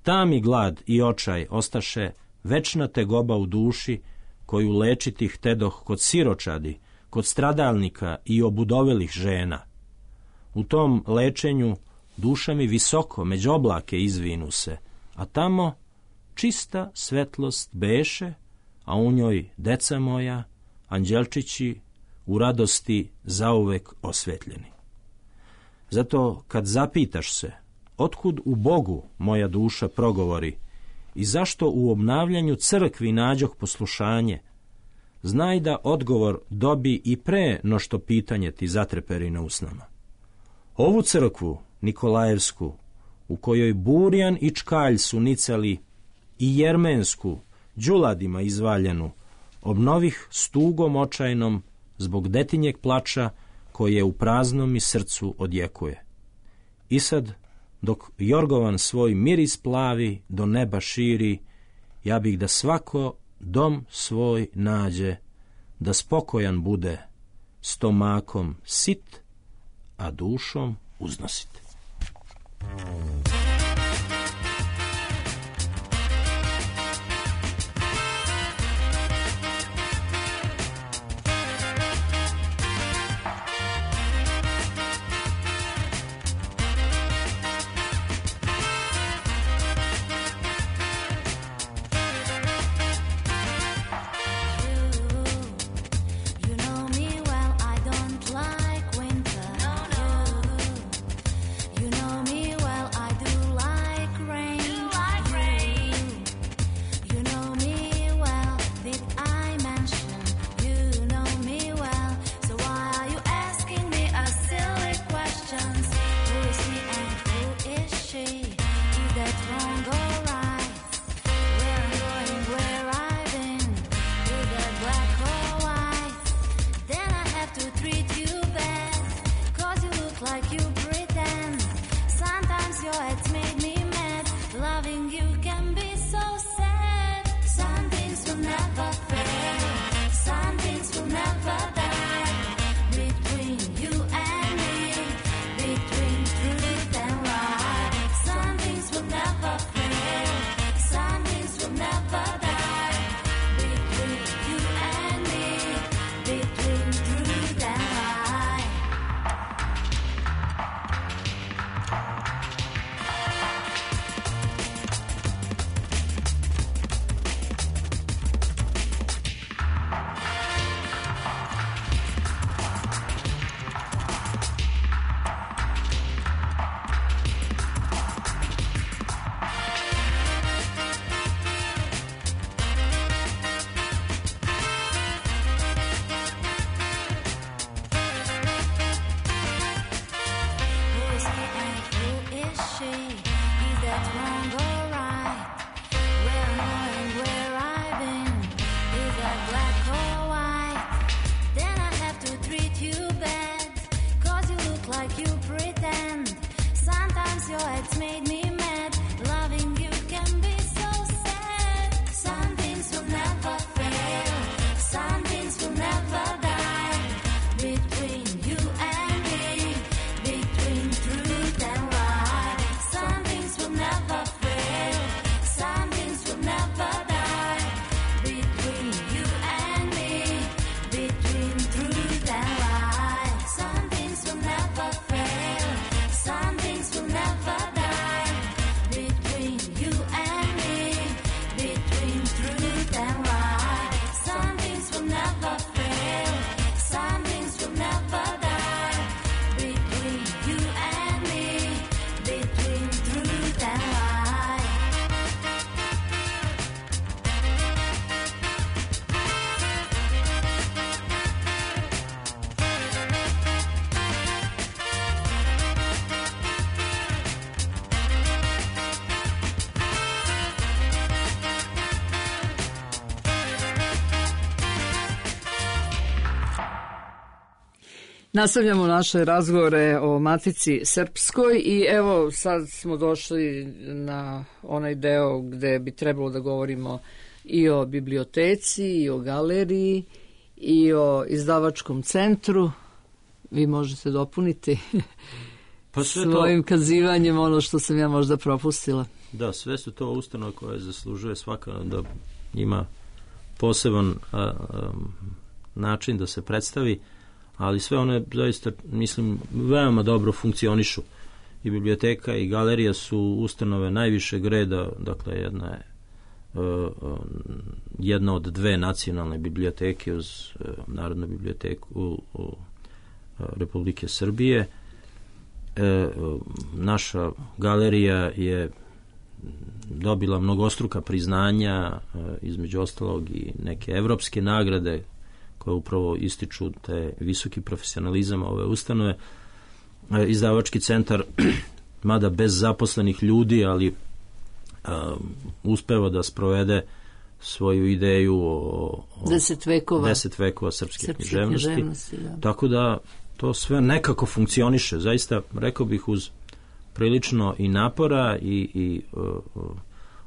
Ta mi glad i očaj ostaše večna tegoba u duši, koju lečiti htedoh kod siročadi, kod stradalnika i obudovelih žena. U tom lečenju duša mi visoko, među oblake izvinu se, a tamo čista svetlost beše, a u njoj deca moja, anđelčići, u radosti zauvek osvetljeni. Zato kad zapitaš se, otkud u Bogu moja duša progovori i zašto u obnavljanju crkvi nađoh poslušanje, znaj da odgovor dobi i pre no što pitanje ti zatreperi na usnama. Ovu crkvu, Nikolajevsku, u kojoj Burjan i Čkalj su nicali, i Jermensku, đuladima izvaljenu, obnovih stugom očajnom zbog detinjeg plača koje u praznom mi srcu odjekuje. I sad, dok Jorgovan svoj miris plavi do neba širi, ja bih da svako dom svoj nađe, da spokojan bude, stomakom sit, a dušom uznosit. You know me well, I don't like winter. You know me well, I do like rain. You know me well, did I mention? You know me well, so why are you asking me a silly questions? Who is he and who is she? Is that wrong or right? Where I'm going, where I've been, is that black or white? Then I have to treat you bad, 'cause you look like you pretend. Sometimes your head's made me mad. Loving you can be so sad. Some things will never fail, some things will never die. Between you and me, between truth and lie. Some things will never fail, some things will never die. Between you and me, between truth and lie. Who is he and who is she? Is that wrong or right? Where am I and where I've been? Is that black or white? Then I have to treat you bad, 'cause you look like you pretend. Sometimes your head's made me mad. Loving you can be so sad. Some things will never fail, some things will never die. Between you and me, between truth and lie. Some things will never fail, some things will never die. Between you and me, between truth and lie. Some things will never fail, some things will never die. Between you and me, between truth and lie. Some things will never fail, some things will never die. Between you and me, between truth and lie. Nastavljamo naše razgovore o Matici Srpskoj i evo sad smo došli na onaj deo gde bi trebalo da govorimo i o biblioteci, i o galeriji, i o izdavačkom centru. Vi možete dopuniti Pa sve to, svojim kazivanjem ono što sam ja možda propustila. da, sve su to ustanove koje zaslužuje svaka da ima poseban način da se predstavi, ali sve one zaista, mislim, veoma dobro funkcionišu. I biblioteka i galerija su ustanove najvišeg reda, dakle jedna od dve nacionalne biblioteke uz Narodnu biblioteku Republike Srbije. Naša galerija je dobila mnogostruka priznanja, između ostalog i neke evropske nagrade koje upravo ističu te visoki profesionalizam ove ustanove. Izdavački centar, mada bez zaposlenih ljudi, ali uspeva da sprovede svoju ideju o 10 vekova srpske književnosti. Da. Tako da to sve nekako funkcioniše. Zaista, rekao bih, uz prilično i napora i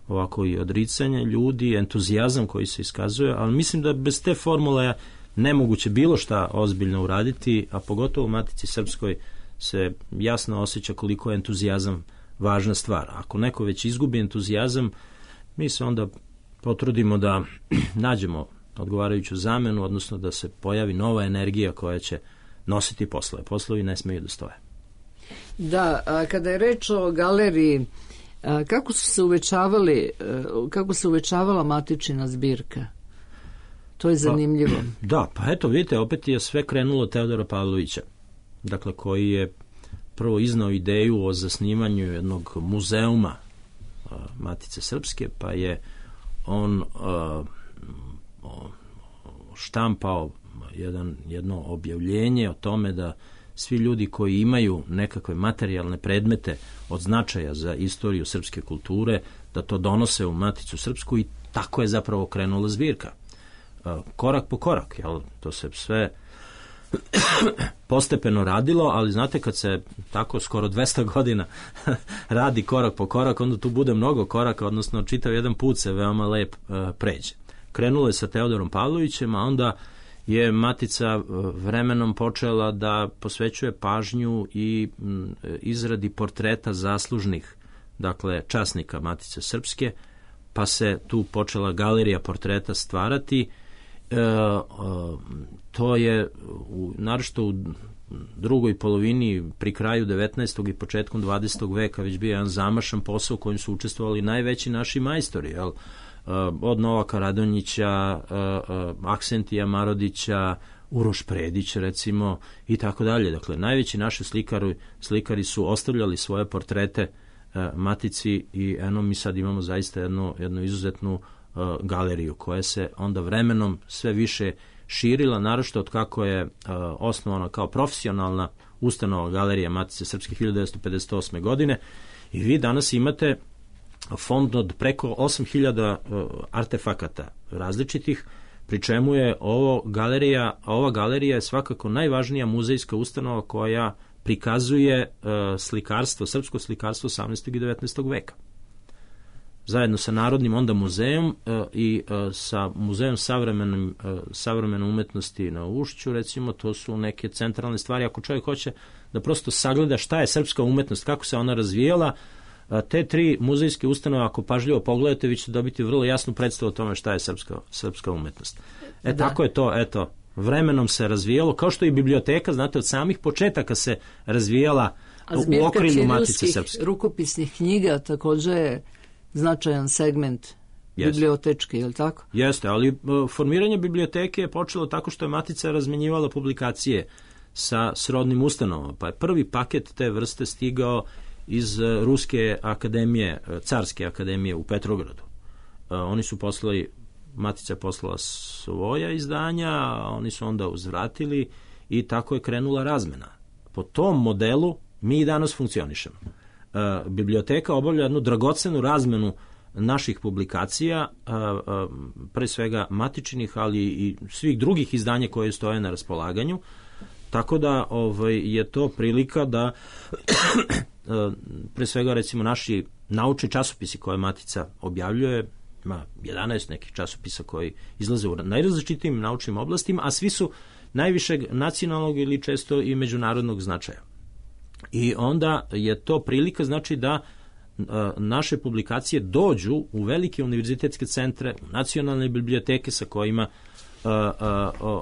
ovako i odricanje ljudi, entuzijazam koji se iskazuje, ali mislim da bez te formule nemoguće bilo šta ozbiljno uraditi, a pogotovo u Matici Srpskoj se jasno osjeća koliko je entuzijazam važna stvar. Ako neko već izgubi entuzijazam, mi se onda potrudimo da nađemo odgovarajuću zamenu, odnosno da se pojavi nova energija koja će nositi poslove. Poslovi ne smeju da stoje. Da, a kada je reč o galeriji, kako se uvećavala matičina zbirka? To je zanimljivo. Da, pa eto, vidite, opet je sve krenulo od Teodora Pavlovića, dakle, koji je prvo iznao ideju o zasnivanju jednog muzeuma Matice Srpske, pa je on štampao jedno objavljenje o tome da svi ljudi koji imaju nekakve materijalne predmete od značaja za istoriju srpske kulture, da to donose u Maticu Srpsku, i tako je zapravo krenula zbirka. Korak po korak, jel? To se sve postepeno radilo, ali znate, kad se tako skoro 200 godina radi korak po korak, onda tu bude mnogo koraka, odnosno čitav jedan put se veoma lep pređe. Krenulo je sa Teodorom Pavlovićem, a onda je Matica vremenom počela da posvećuje pažnju i izradi portreta zaslužnih, dakle, časnika Matice Srpske, pa se tu počela galerija portreta stvarati. To je naročito u drugoj polovini, pri kraju 19. i početkom 20. veka već bio jedan zamašan posao u kojem su učestvovali najveći naši majstori, jel? Od Novaka Radonjića, Aksentija Marodića, Uroš Predić, recimo, i tako dalje. Dakle, najveći naši slikari su ostavljali svoje portrete Matici, i eno, mi sad imamo zaista jednu izuzetnu galeriju koja se onda vremenom sve više širila, naročito od kako je osnovana kao profesionalna ustanova Galerija Matice Srpske 1958. godine, i vi danas imate fond od preko 8000 artefakata različitih, pri čemu je ova galerija je svakako najvažnija muzejska ustanova koja prikazuje slikarstvo, srpsko slikarstvo 18. i 19. veka. Zajedno sa Narodnim onda muzejom i sa Muzejom savremene umetnosti na Ušću, recimo, to su neke centralne stvari. Ako čovjek hoće da prosto sagleda šta je srpska umetnost, kako se ona razvijala, te tri muzejske ustanove, ako pažljivo pogledate, vi ćete dobiti vrlo jasnu predstavu o tome šta je srpska umetnost. Tako je to, eto, vremenom se razvijalo, kao što i biblioteka, znate, od samih početaka se razvijala u okrilju Matice Srpske. Rukopisnih knjiga također je značajan segment bibliotečke, je li tako? Jeste, ali formiranje biblioteke je počelo tako što je Matica razmenjivala publikacije sa srodnim ustanovama, pa je prvi paket te vrste stigao iz Ruske akademije, Carske akademije u Petrogradu. Oni su poslali, Matica je poslala svoja izdanja, a oni su onda uzvratili, i tako je krenula razmena. Po tom modelu mi i danas funkcionišemo. Biblioteka obavlja jednu dragocenu razmenu naših publikacija, pre svega matičnih, ali i svih drugih izdanja koje stoje na raspolaganju, tako da je to prilika da pre svega, recimo, naši naučni časopisi koje Matica objavljuje, ima 11 nekih časopisa koji izlaze u najrazličitijim naučnim oblastima, a svi su najvišeg nacionalnog ili često i međunarodnog značaja. I onda je to prilika, znači, da naše publikacije dođu u velike univerzitetske centre, nacionalne biblioteke sa kojima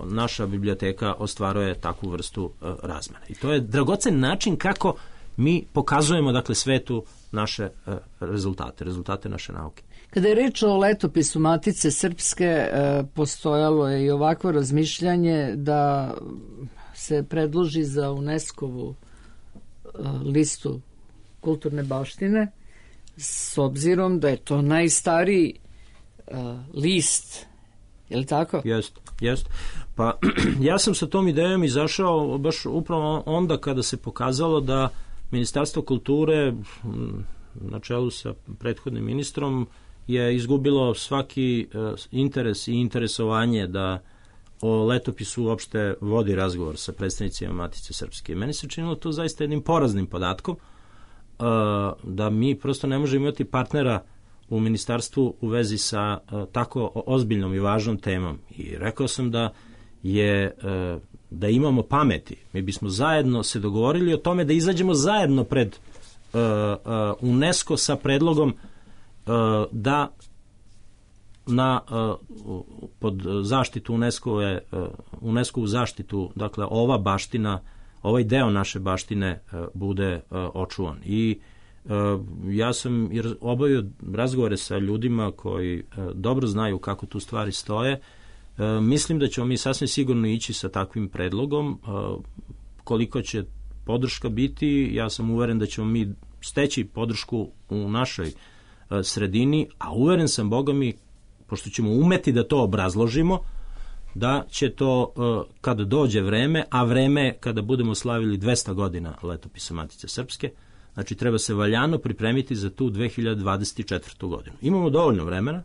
naša biblioteka ostvaruje takvu vrstu razmene. I to je dragocen način kako mi pokazujemo, dakle, svetu naše rezultate naše nauke. Kada je reč o letopisu Matice Srpske, postojalo je i ovakvo razmišljanje da se predloži za UNESCO-vu listu kulturne baštine, s obzirom da je to najstariji list, je li tako? Jest. Pa ja sam sa tom idejom izašao baš upravo onda kada se pokazalo da Ministarstvo kulture na čelu sa prethodnim ministrom je izgubilo svaki interes i interesovanje da o letopisu uopšte vodi razgovor sa predstavnicima Matice Srpske. Meni se činilo to zaista jednim poraznim podatkom, da mi prosto ne možemo imati partnera u ministarstvu u vezi sa tako ozbiljnom i važnom temom. I rekao sam da imamo pameti. Mi bismo zajedno se dogovorili o tome da izađemo zajedno pred UNESCO sa predlogom da pod zaštitu UNESCO-vu zaštitu, dakle, ova baština, ovaj deo naše baštine bude očuvan. I ja sam obavio razgovore sa ljudima koji dobro znaju kako tu stvari stoje. Mislim da ćemo mi sasvim sigurno ići sa takvim predlogom. Koliko će podrška biti, ja sam uveren da ćemo mi steći podršku u našoj sredini, a uveren sam, Boga mi, pošto ćemo umeti da to obrazložimo, da će to, kada dođe vreme, a vreme kada budemo slavili 200 godina letopisa Matice Srpske, znači treba se valjano pripremiti za tu 2024. godinu. Imamo dovoljno vremena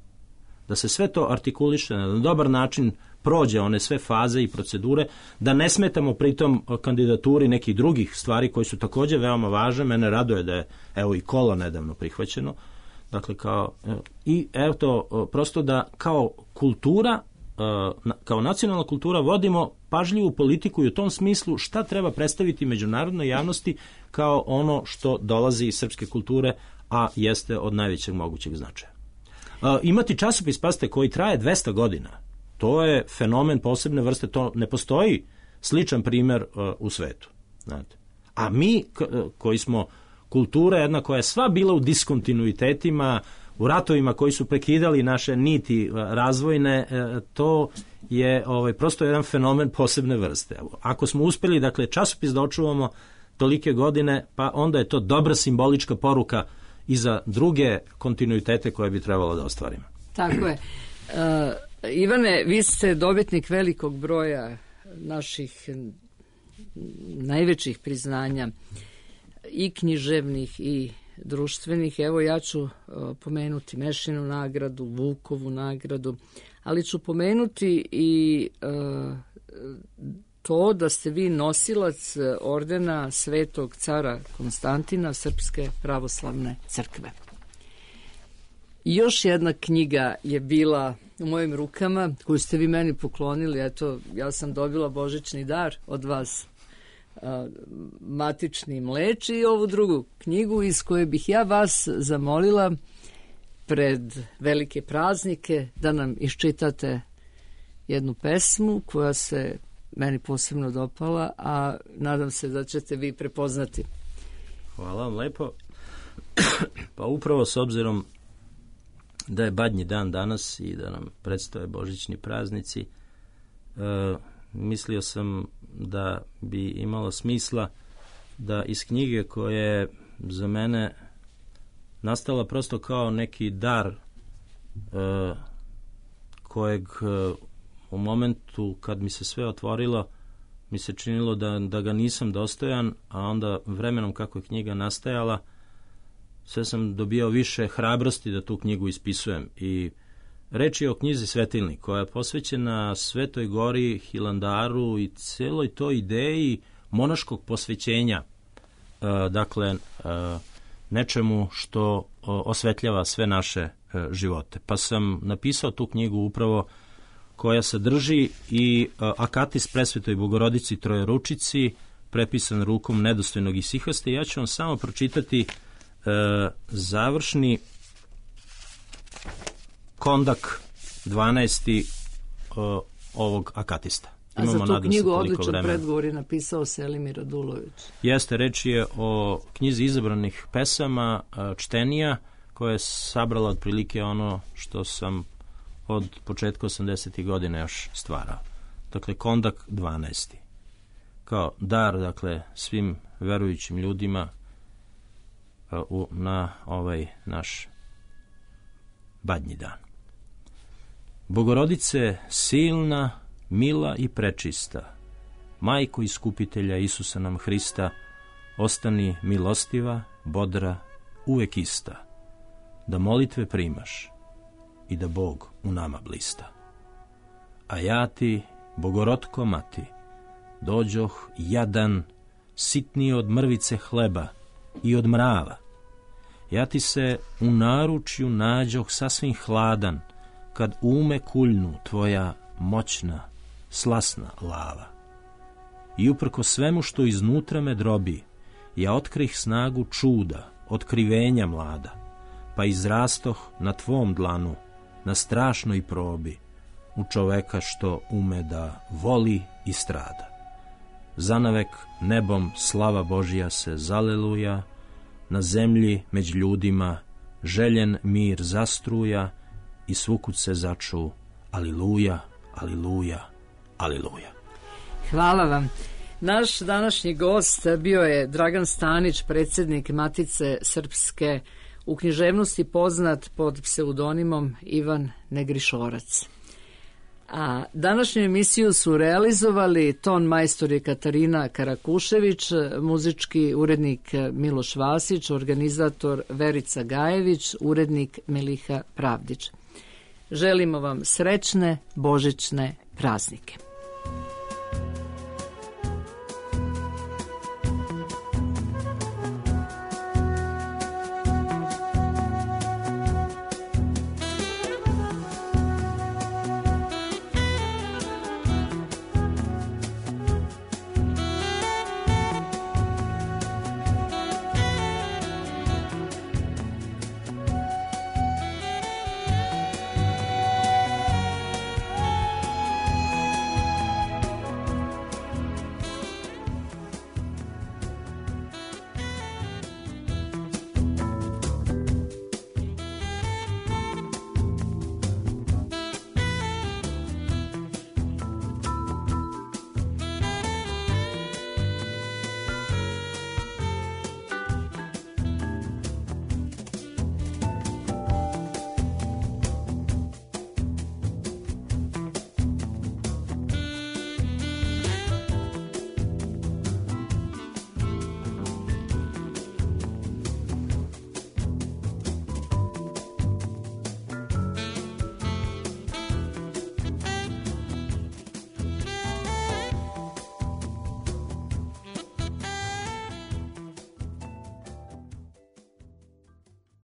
da se sve to artikuliše na dobar način, prođe one sve faze i procedure, da ne smetamo pritom kandidaturi nekih drugih stvari koji su također veoma važne. Mene raduje da je, evo, i kolo nedavno prihvaćeno. Dakle, prosto da kao kultura, kao nacionalna kultura vodimo pažljivu politiku i u tom smislu šta treba predstaviti međunarodnoj javnosti kao ono što dolazi iz srpske kulture, a jeste od najvećeg mogućeg značaja. Imati časopis, pazite, koji traje 200 godina, to je fenomen posebne vrste, to ne postoji sličan primjer u svetu. Znate. A mi koji smo kultura jedna koja je sva bila u diskontinuitetima, u ratovima koji su prekidali naše niti razvojne, to je prosto jedan fenomen posebne vrste. Ako smo uspjeli, dakle, časopis da očuvamo tolike godine, pa onda je to dobra simbolička poruka i za druge kontinuitete koje bi trebalo da ostvarimo. Tako je. Ivane, vi ste dobitnik velikog broja naših najvećih priznanja, i književnih i društvenih. Evo, ja ću pomenuti Mešinu nagradu, Vukovu nagradu, ali ću pomenuti i to da ste vi nosilac ordena Svetog cara Konstantina Srpske pravoslavne crkve. Još jedna knjiga je bila u mojim rukama, koju ste vi meni poklonili. Eto, ja sam dobila božićni dar od vas, Matični mleč, i ovu drugu knjigu iz koje bih ja vas zamolila pred velike praznike da nam iščitate jednu pesmu koja se meni posebno dopala, a nadam se da ćete vi prepoznati. Hvala vam lepo. Pa upravo s obzirom da je Badnji dan danas i da nam predstoje božićni praznici, mislio sam da bi imalo smisla da iz knjige koja je za mene nastala prosto kao neki dar, kojeg u momentu kad mi se sve otvorilo mi se činilo da ga nisam dostojan, a onda vremenom kako je knjiga nastajala sve sam dobio više hrabrosti da tu knjigu ispisujem. I reč je o knjizi Svetilnik, koja je posvećena Svetoj Gori, Hilandaru i celoj toj ideji monaškog posvećenja, dakle nečemu što osvetljava sve naše živote. Pa sam napisao tu knjigu upravo koja sadrži i akatis Presvetoj Bogorodici Trojeručici, prepisan rukom nedostojnog Isihaste. Ja ću vam samo pročitati završni kondak 12. ovog akatista. A za tu nadam se, knjigu toliko odličan vremena. predgovor je napisao Selimir Radulović. Jeste, reč je o knjizi izabranih pesama čtenija, koja je sabrala otprilike ono što sam od početka 80. godina još stvarao. Dakle, Kondak 12. Kao dar, dakle, svim verujućim ljudima na ovaj naš badnji dan. Bogorodice silna, mila i prečista, majko iskupitelja Isusa nam Hrista, ostani milostiva, bodra, uvek ista, da molitve primaš i da Bog u nama blista. A ja ti, Bogorotko mati, dođoh jadan, sitniji od mrvice hleba i od mrava. Ja ti se u naručju nađoh sasvim hladan, kad ume kuljnu tvoja moćna, slasna lava. I uprko svemu što iznutra me drobi, ja otkrih snagu čuda, otkrivenja mlada, pa izrastoh na tvom dlanu, na strašnoj probi, u čoveka što ume da voli i strada. Zanavek nebom slava Božja se zaleluja, na zemlji među ljudima željen mir zastruja i svukud se začu aliluja, aliluja, aliluja. Hvala vam. Naš današnji gost bio je Dragan Stanić, predsjednik Matice Srpske, u književnosti poznat pod pseudonimom Ivan Negrišorac. A današnju emisiju su realizovali ton majstor je Katarina Karakušević, muzički urednik Miloš Vasić, organizator Verica Gajević, urednik Miliha Pravdić. Želimo vam srećne božićne praznike.